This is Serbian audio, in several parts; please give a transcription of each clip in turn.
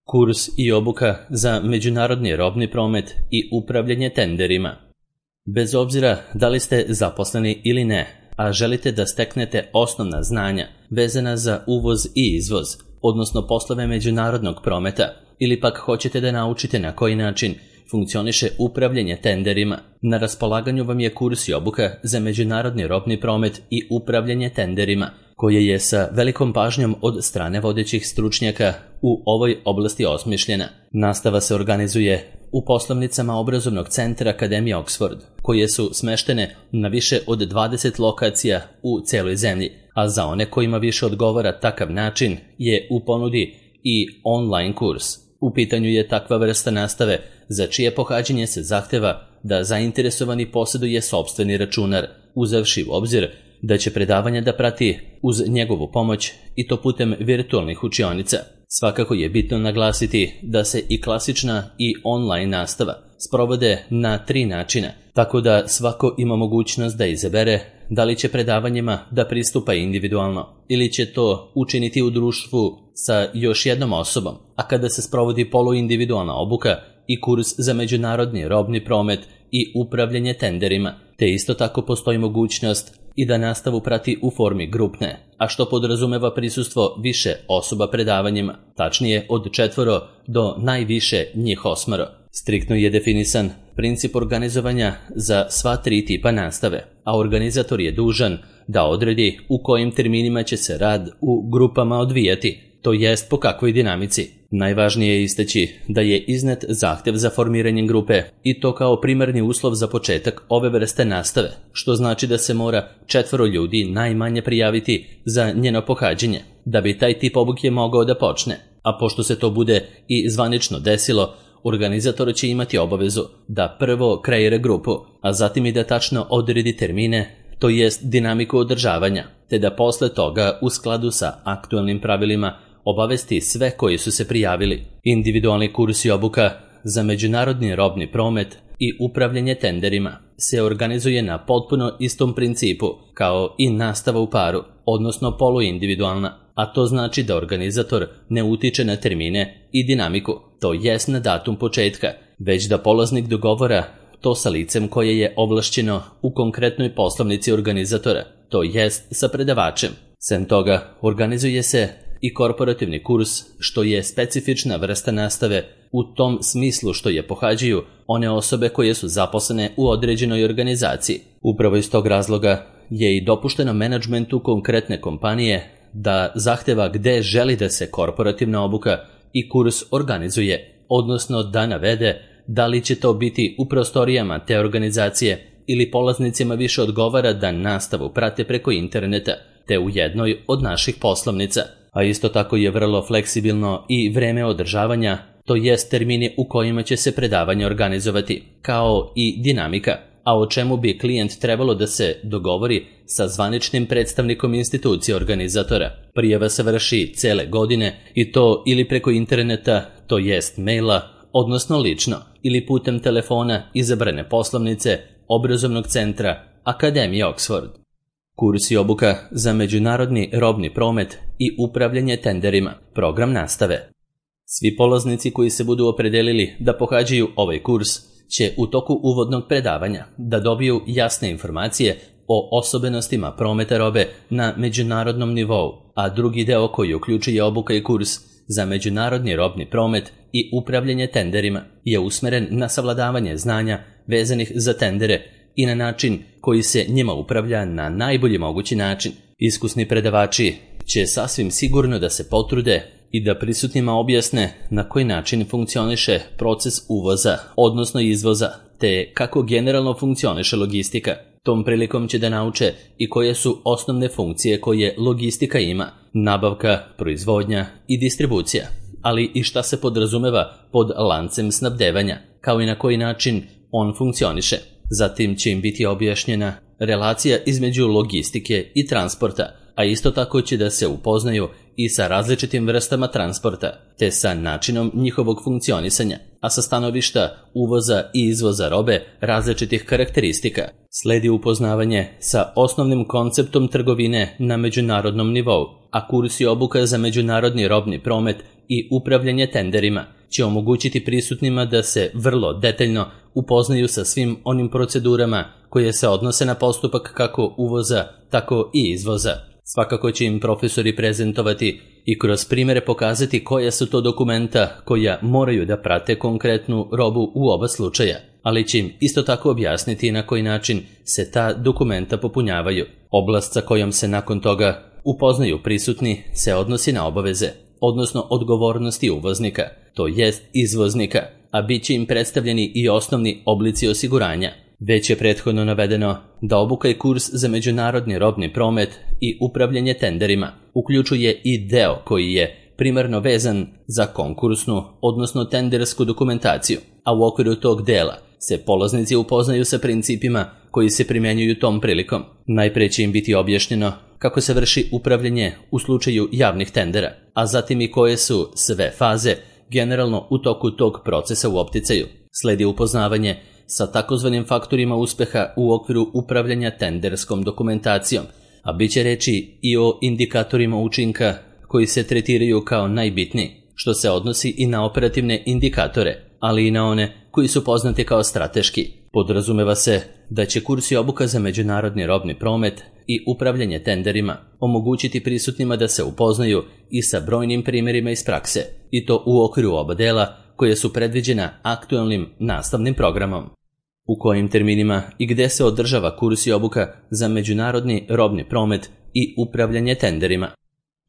Kurs i obuka za međunarodni robni promet i upravljanje tenderima. Bez obzira da li ste zaposleni ili ne, a želite da steknete osnovna znanja vezana za uvoz i izvoz, odnosno poslove međunarodnog prometa, ili pak hoćete da naučite na koji način funkcioniše upravljanje tenderima, na raspolaganju vam je kurs i obuka za međunarodni robni promet i upravljanje tenderima, koje je sa velikom pažnjom od strane vodećih stručnjaka u ovoj oblasti osmišljena. Nastava se organizuje u poslovnicama obrazovnog centra Akademije Oxford, koje su smeštene na više od 20 lokacija u celoj zemlji, a za one kojima više odgovara takav način je u ponudi i online kurs. U pitanju je takva vrsta nastave za čije pohađanje se zahteva da zainteresovani posjeduje sopstveni računar, uzevši u obzir da će predavanja da prati uz njegovu pomoć i to putem virtualnih učionica. Svakako je bitno naglasiti da se i klasična i online nastava sprovode na 3 načina, tako da svako ima mogućnost da izabere da li će predavanjima da pristupa individualno ili će to učiniti u društvu sa još jednom osobom, a kada se sprovodi poluindividualna obuka i kurs za međunarodni robni promet i upravljanje tenderima, te isto tako postoji mogućnost i da nastavu prati u formi grupne, a što podrazumeva prisustvo više osoba predavanjima, tačnije od 4 do najviše njih 8. Striktno je definisan princip organizovanja za sva 3 tipa nastave, a organizator je dužan da odredi u kojim terminima će se rad u grupama odvijati, to jest po kakvoj dinamici. Najvažnije je istaći da je iznet zahtev za formiranjem grupe i to kao primarni uslov za početak ove vrste nastave, što znači da se mora 4 ljudi najmanje prijaviti za njeno pohađanje, da bi taj tip obuke mogao da počne. A pošto se to bude i zvanično desilo, organizator će imati obavezu da prvo kreira grupu, a zatim i da tačno odredi termine, to jest dinamiku održavanja, te da posle toga u skladu sa aktualnim pravilima obavesti sve koji su se prijavili. Individualni kurs i obuka za međunarodni robni promet i upravljanje tenderima se organizuje na potpuno istom principu kao i nastava u paru, odnosno poluindividualna, a to znači da organizator ne utiče na termine i dinamiku, to jest na datum početka, već da polaznik dogovora to sa licem koje je ovlašćeno u konkretnoj poslovnici organizatora, to jest sa predavačem. Sem toga, organizuje se i korporativni kurs, što je specifična vrsta nastave u tom smislu što je pohađaju one osobe koje su zaposlene u određenoj organizaciji. Upravo iz tog razloga je i dopušteno menadžmentu konkretne kompanije da zahteva gde želi da se korporativna obuka i kurs organizuje, odnosno da navede da li će to biti u prostorijama te organizacije ili polaznicima više odgovara da nastavu prate preko interneta, te u jednoj od naših poslovnica. A isto tako je vrlo fleksibilno i vreme održavanja, to jest termini u kojima će se predavanje organizovati, kao i dinamika, a o čemu bi klijent trebalo da se dogovori sa zvaničnim predstavnikom institucije organizatora. Prijava se vrši cele godine i to ili preko interneta, to jest maila, odnosno lično, ili putem telefona izabrane poslovnice obrazovnog centra Akademije Oxford. Kurs i obuka za međunarodni robni promet i upravljanje tenderima, program nastave. Svi polaznici koji se budu opredelili da pohađaju ovaj kurs će u toku uvodnog predavanja da dobiju jasne informacije o osobenostima prometa robe na međunarodnom nivou, a drugi deo koji uključuje obuka i kurs za međunarodni robni promet i upravljanje tenderima je usmeren na savladavanje znanja vezanih za tendere i na način koji se njima upravlja na najbolji mogući način. Iskusni predavači će sasvim sigurno da se potrude i da prisutnima objasne na koji način funkcioniše proces uvoza, odnosno izvoza, te kako generalno funkcioniše logistika. Tom prilikom će da nauče i koje su osnovne funkcije koje logistika ima, nabavka, proizvodnja i distribucija, ali i šta se podrazumeva pod lancem snabdevanja, kao i na koji način on funkcioniše. Zatim će im biti objašnjena relacija između logistike i transporta, a isto tako će da se upoznaju i sa različitim vrstama transporta, te sa načinom njihovog funkcionisanja, a sa stanovišta uvoza i izvoza robe različitih karakteristika. Sledi upoznavanje sa osnovnim konceptom trgovine na međunarodnom nivou, a kurs i obuka za međunarodni robni promet i upravljanje tenderima će omogućiti prisutnima da se vrlo detaljno upoznaju sa svim onim procedurama koje se odnose na postupak kako uvoza, tako i izvoza. Svakako će im profesori prezentovati i kroz primjere pokazati koja su to dokumenta koja moraju da prate konkretnu robu u oba slučaja, ali će im isto tako objasniti na koji način se ta dokumenta popunjavaju. Oblast sa kojom se nakon toga upoznaju prisutni se odnosi na obaveze, odnosno odgovornosti uvoznika, to jest izvoznika, a bit će im predstavljeni i osnovni oblici osiguranja. Već je prethodno navedeno da obuka i kurs za međunarodni robni promet i upravljanje tenderima uključuje i deo koji je primarno vezan za konkursnu, odnosno tendersku dokumentaciju, a u okviru tog dela se polaznici upoznaju sa principima koji se primjenjuju tom prilikom. Najpre će im biti objašnjeno kako se vrši upravljanje u slučaju javnih tendera, a zatim i koje su sve faze generalno u toku tog procesa u opticaju. Sledi upoznavanje sa takozvanim faktorima uspeha u okviru upravljanja tenderskom dokumentacijom, a bit će reći i o indikatorima učinka koji se tretiraju kao najbitniji, što se odnosi i na operativne indikatore, ali i na one koji su poznati kao strateški. Podrazumeva se da će kurs i obuka za međunarodni robni promet i upravljanje tenderima omogućiti prisutnima da se upoznaju i sa brojnim primjerima iz prakse, i to u okviru oba dela koje su predviđena aktualnim nastavnim programom. U kojim terminima i gde se održava kurs i obuka za međunarodni robni promet i upravljanje tenderima.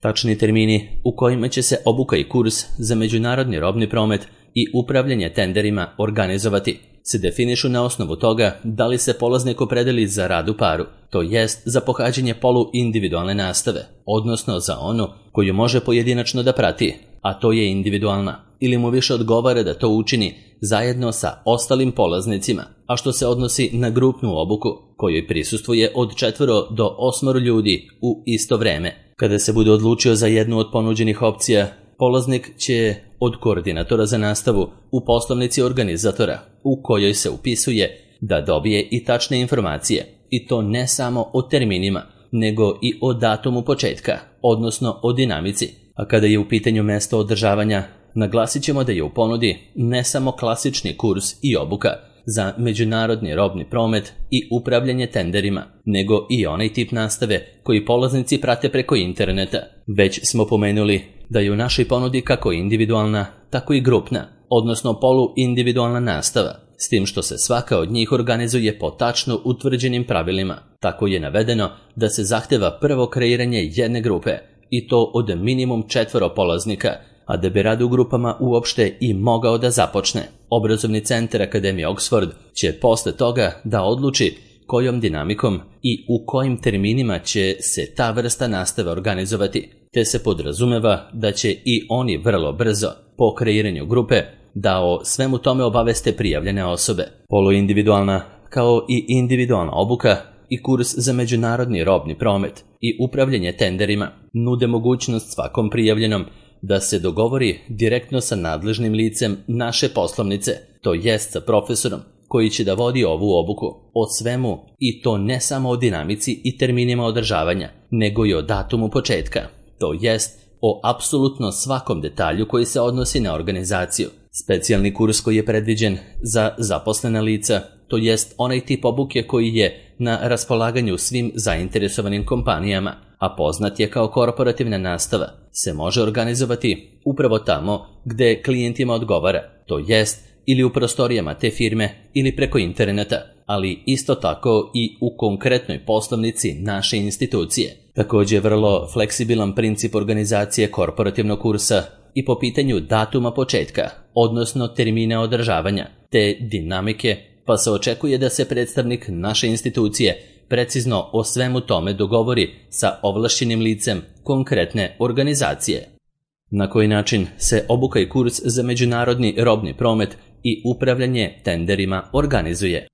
Tačni termini u kojima će se obuka i kurs za međunarodni robni promet i upravljanje tenderima organizovati se definišu na osnovu toga da li se polaznik opredeli za rad u paru, to jest za pohađanje poluindividualne nastave, odnosno za onu koju može pojedinačno da prati, a to je individualna, ili mu više odgovara da to učini zajedno sa ostalim polaznicima, a što se odnosi na grupnu obuku, kojoj prisustvuje od 4 do 8 ljudi u isto vreme. Kada se bude odlučio za jednu od ponuđenih opcija, polaznik će od koordinatora za nastavu u poslovnici organizatora, u kojoj se upisuje, da dobije i tačne informacije, i to ne samo o terminima, nego i o datumu početka, odnosno o dinamici. A kada je u pitanju mesto održavanja, naglasit ćemo da je u ponudi ne samo klasični kurs i obuka za međunarodni robni promet i upravljanje tenderima, nego i onaj tip nastave koji polaznici prate preko interneta. Već smo pomenuli da je u našoj ponudi kako individualna, tako i grupna, odnosno poluindividualna nastava, s tim što se svaka od njih organizuje po tačno utvrđenim pravilima. Tako je navedeno da se zahteva prvo kreiranje jedne grupe, i to od minimum 4 polaznika, a da bi rad u grupama uopšte i mogao da započne. Obrazovni centar Akademije Oxford će posle toga da odluči kojom dinamikom i u kojim terminima će se ta vrsta nastave organizovati, te se podrazumeva da će i oni vrlo brzo, po kreiranju grupe, da o svemu tome obaveste prijavljene osobe. Poluindividualna, kao i individualna obuka i kurs za međunarodni robni promet i upravljanje tenderima nude mogućnost svakom prijavljenom da se dogovori direktno sa nadležnim licem naše poslovnice, to jest sa profesorom koji će da vodi ovu obuku, o svemu, i to ne samo o dinamici i terminima održavanja, nego i o datumu početka, to jest o apsolutno svakom detalju koji se odnosi na organizaciju. Specijalni kurs koji je predviđen za zaposlena lica, to jest onaj tip obuke koji je na raspolaganju svim zainteresovanim kompanijama, a poznat je kao korporativna nastava, se može organizovati upravo tamo gde klijentima odgovara, to jest ili u prostorijama te firme ili preko interneta, ali isto tako i u konkretnoj poslovnici naše institucije. Također je vrlo fleksibilan princip organizacije korporativnog kursa i po pitanju datuma početka, odnosno termina održavanja, te dinamike, pa se očekuje da se predstavnik naše institucije precizno o svemu tome dogovori sa ovlašćenim licem konkretne organizacije. Na koji način se obuka i kurs za međunarodni robni promet i upravljanje tenderima organizuje?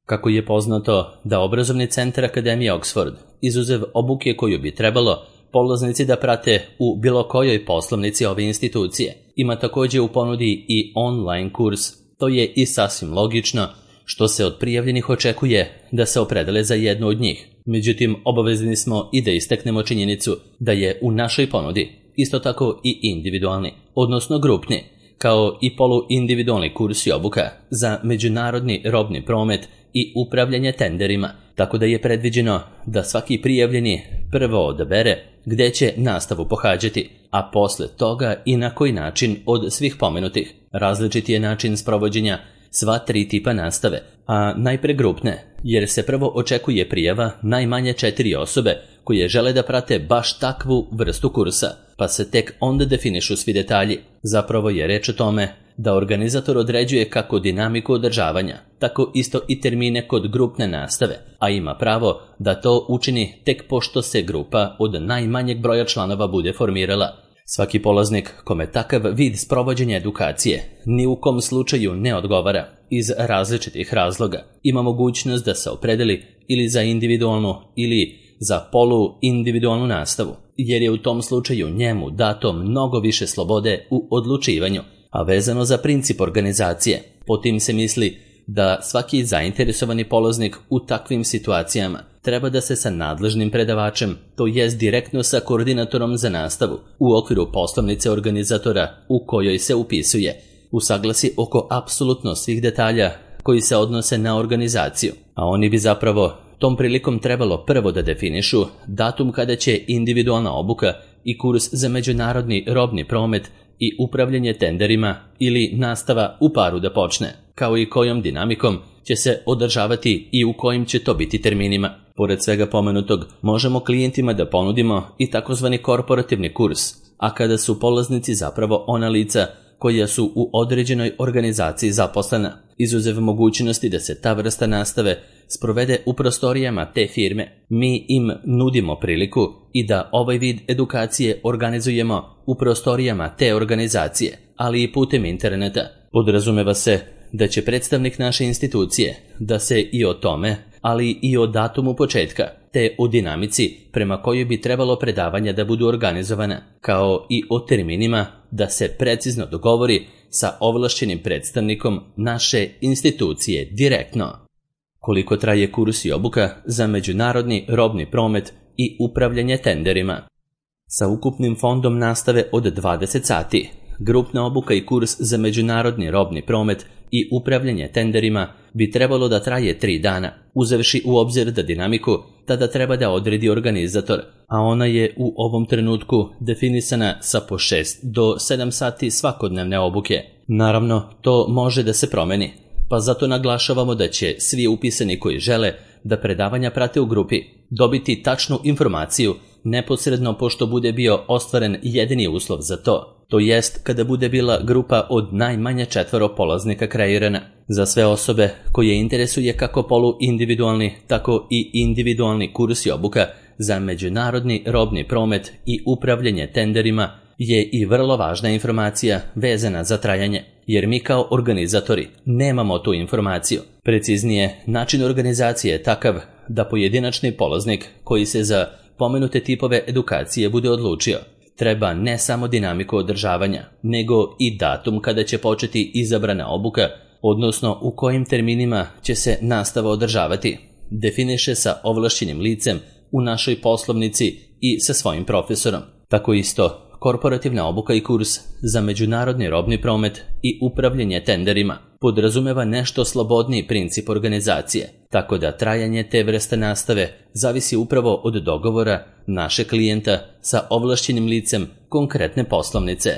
Kako je poznato da obrazovni centar Akademije Oxford, izuzev obuke koju bi trebalo polaznici da prate u bilo kojoj poslovnici ove institucije, ima također u ponudi i online kurs. To je i sasvim logično, što se od prijavljenih očekuje da se opredele za jednu od njih. Međutim, obavezni smo i da istaknemo činjenicu da je u našoj ponudi isto tako i individualni, odnosno grupni, kao i poluindividualni kurs i obuka za međunarodni robni promet i upravljanje tenderima, tako da je predviđeno da svaki prijavljeni prvo odabere gde će nastavu pohađati, a posle toga i na koji način od svih pomenutih. Različiti je način sprovođenja sva 3 tipa nastave, a najpre grupne, jer se prvo očekuje prijava najmanje 4 osobe koje žele da prate baš takvu vrstu kursa, pa se tek onda definišu svi detalji. Zapravo je reč o tome da organizator određuje kako dinamiku održavanja, tako isto i termine kod grupne nastave, a ima pravo da to učini tek pošto se grupa od najmanjeg broja članova bude formirala. Svaki polaznik kome takav vid sprovođenja edukacije ni u kom slučaju ne odgovara iz različitih razloga ima mogućnost da se opredeli ili za individualnu ili za poluindividualnu nastavu, jer je u tom slučaju njemu dato mnogo više slobode u odlučivanju, a vezano za princip organizacije. Po tim se misli da svaki zainteresovani polaznik u takvim situacijama treba da se sa nadležnim predavačem, to jest direktno sa koordinatorom za nastavu, u okviru poslovnice organizatora u kojoj se upisuje, usaglasi oko apsolutno svih detalja koji se odnose na organizaciju, a oni bi zapravo tom prilikom trebalo prvo da definišu datum kada će individualna obuka i kurs za međunarodni robni promet i upravljanje tenderima ili nastava u paru da počne, kao i kojom dinamikom će se održavati i u kojim će to biti terminima. Pored svega pomenutog, možemo klijentima da ponudimo i takozvani korporativni kurs, a kada su polaznici zapravo ona lica koja su u određenoj organizaciji zaposlena, izuzev mogućnosti da se ta vrsta nastave sprovede u prostorijama te firme, mi im nudimo priliku i da ovaj vid edukacije organizujemo u prostorijama te organizacije, ali i putem interneta. Podrazumeva se da će predstavnik naše institucije da se i o tome, ali i o datumu početka, te o dinamici prema kojoj bi trebalo predavanja da budu organizovana, kao i o terminima da se precizno dogovori sa ovlašćenim predstavnikom naše institucije direktno. Koliko traje kurs i obuka za međunarodni robni promet i upravljanje tenderima? Sa ukupnim fondom nastave od 20 sati, grupna obuka i kurs za međunarodni robni promet i upravljanje tenderima bi trebalo da traje 3 dana, uzevši u obzir da dinamiku tada treba da odredi organizator, a ona je u ovom trenutku definisana sa po 6 do 7 sati svakodnevne obuke. Naravno, to može da se promeni, pa zato naglašavamo da će svi upisani koji žele da predavanja prate u grupi dobiti tačnu informaciju neposredno pošto bude bio ostvaren jedini uslov za to jest kada bude bila grupa od najmanje 4 polaznika kreirana. Za sve osobe koje interesuje kako poluindividualni, tako i individualni kurs i obuka za međunarodni robni promet i upravljanje tenderima je i vrlo važna informacija vezana za trajanje, jer mi kao organizatori nemamo tu informaciju. Preciznije, način organizacije je takav da pojedinačni polaznik koji se za pomenute tipove edukacije bude odlučio treba ne samo dinamiku održavanja, nego i datum kada će početi izabrana obuka, odnosno u kojim terminima će se nastava održavati, definiše sa ovlašćenim licem u našoj poslovnici i sa svojim profesorom. Tako isto, korporativna obuka i kurs za međunarodni robni promet i upravljanje tenderima podrazumeva nešto slobodniji princip organizacije, tako da trajanje te vrste nastave zavisi upravo od dogovora našeg klijenta sa ovlašćenim licem konkretne poslovnice.